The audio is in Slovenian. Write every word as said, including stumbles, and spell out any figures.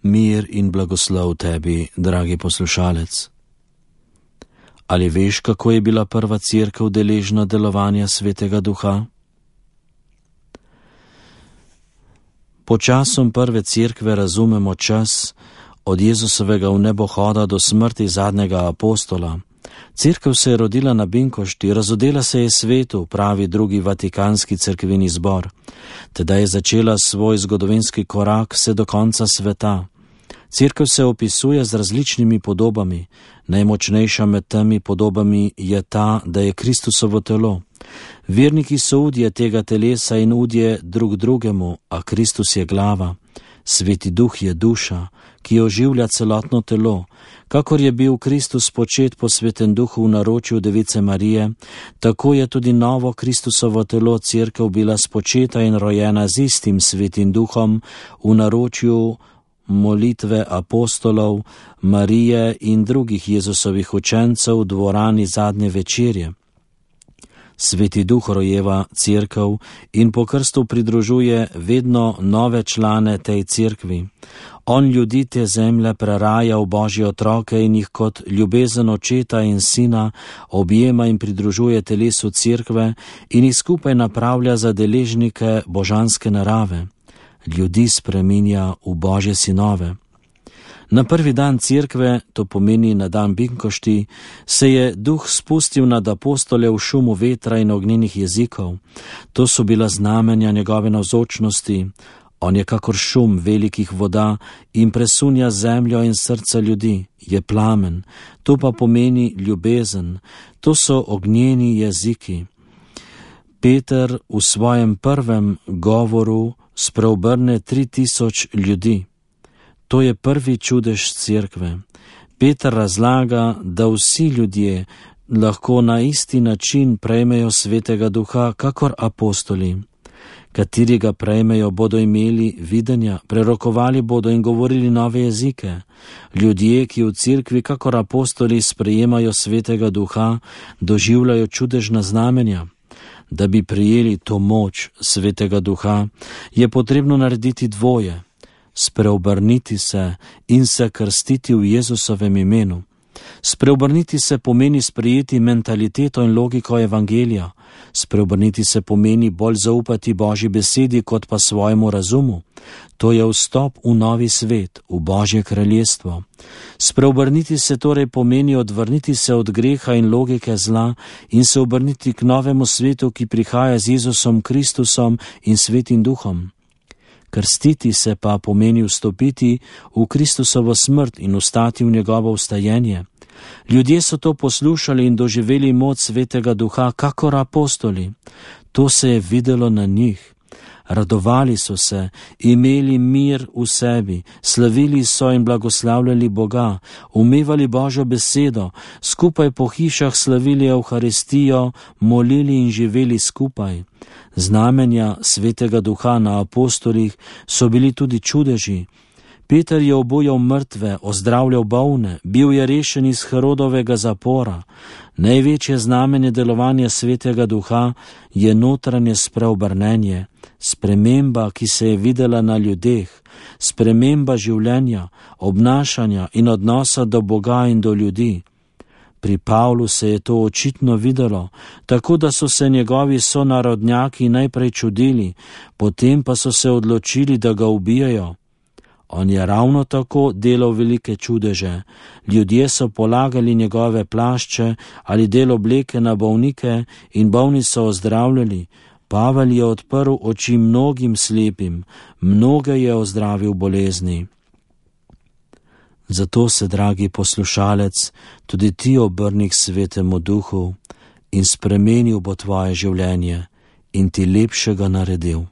Mir in blagoslov tebi, dragi poslušalec. Ali veš, kako je bila prva cerkev deležna delovanja Svetega Duha? Pod časom prve cerkve razumemo čas od Jezusovega vnebohoda do smrti zadnjega apostola. Cerkev se je rodila na Binkošti, razodela se je svetu, pravi drugi vatikanski cerkveni zbor. Tedaj je začela svoj zgodovinski korak vse do konca sveta. Cerkev se opisuje z različnimi podobami. Najmočnejša med temi podobami je ta, da je Kristusovo telo. Verniki so udje tega telesa in udje drug drugemu, a Kristus je glava. Sveti Duh je duša, ki oživlja celotno telo. Kakor je bil Kristus počet po Svetem Duhu v naročju Device Marije, tako je tudi novo Kristusovo telo cerkev bila spočeta in rojena z istim Svetim Duhom v naročju molitve apostolov, Marije in drugih Jezusovih učencev v dvorani zadnje večerje. Sveti Duh rojeva cerkev in po krstu pridružuje vedno nove člane tej cerkvi. On ljudi te zemlje preraja v Božje otroke in jih kot ljubezen očeta in sina objema in pridružuje telesu cerkve in jih skupaj napravlja za deležnike božanske narave. Ljudi spreminja v Božje sinove. Na prvi dan cerkve, to pomeni na dan Binkošti, se je Duh spustil nad apostole v šumu vetra in ognjenih jezikov. To so bila znamenja njegove navzočnosti. On je kakor šum velikih voda in presunja zemljo in srca ljudi. Je plamen, to pa pomeni ljubezen. To so ognjeni jeziki. Peter v svojem prvem govoru spreobrne tri tisoč ljudi. To je prvi čudež cerkve. Peter razlaga, da vsi ljudje lahko na isti način prejmejo Svetega Duha, kakor apostoli. Kateri ga prejmejo, bodo imeli videnja, prerokovali bodo in govorili nove jezike. Ljudje, ki v cerkvi, kakor apostoli, sprejemajo Svetega Duha, doživljajo čudežna znamenja. Da bi prijeli to moč Svetega Duha, je potrebno narediti dvoje. Spreobrniti se in se krstiti v Jezusovem imenu. Spreobrniti se pomeni sprejeti mentaliteto in logiko evangelija. Spreobrniti se pomeni bolj zaupati Božji besedi kot pa svojemu razumu. To je vstop v novi svet, v Božje kraljestvo. Spreobrniti se torej pomeni odvrniti se od greha in logike zla in se obrniti k novemu svetu, ki prihaja z Jezusom Kristusom in Svetim Duhom. Krstiti se pa pomeni vstopiti v Kristusovo smrt in vstati v njegovo vstajenje. Ljudje so to poslušali in doživeli moč Svetega Duha, kakor apostoli. To se je videlo na njih. Radovali so se, imeli mir v sebi, slavili so in blagoslavljali Boga, umevali Božjo besedo, skupaj po hišah slavili Evharistijo, molili in živeli skupaj. Znamenja Svetega Duha na apostolih so bili tudi čudeži. Peter je obujal mrtve, ozdravljal bolne, bil je rešen iz Herodovega zapora. Največje znamenje delovanja Svetega Duha je notranje spreobrnenje, sprememba, ki se je videla na ljudeh, sprememba življenja, obnašanja in odnosa do Boga in do ljudi. Pri Pavlu se je to očitno videlo, tako da so se njegovi sonarodnjaki najprej čudili, potem pa so se odločili, da ga ubijajo. On je ravno tako delal velike čudeže. Ljudje so polagali njegove plašče ali del obleke na bolnike in bolni so ozdravljali. Pavel je odprl oči mnogim slepim, mnoge je ozdravil bolezni. Zato se, dragi poslušalec, tudi ti obrni k Svetemu Duhu in spremenil bo tvoje življenje in ti lepšega naredil.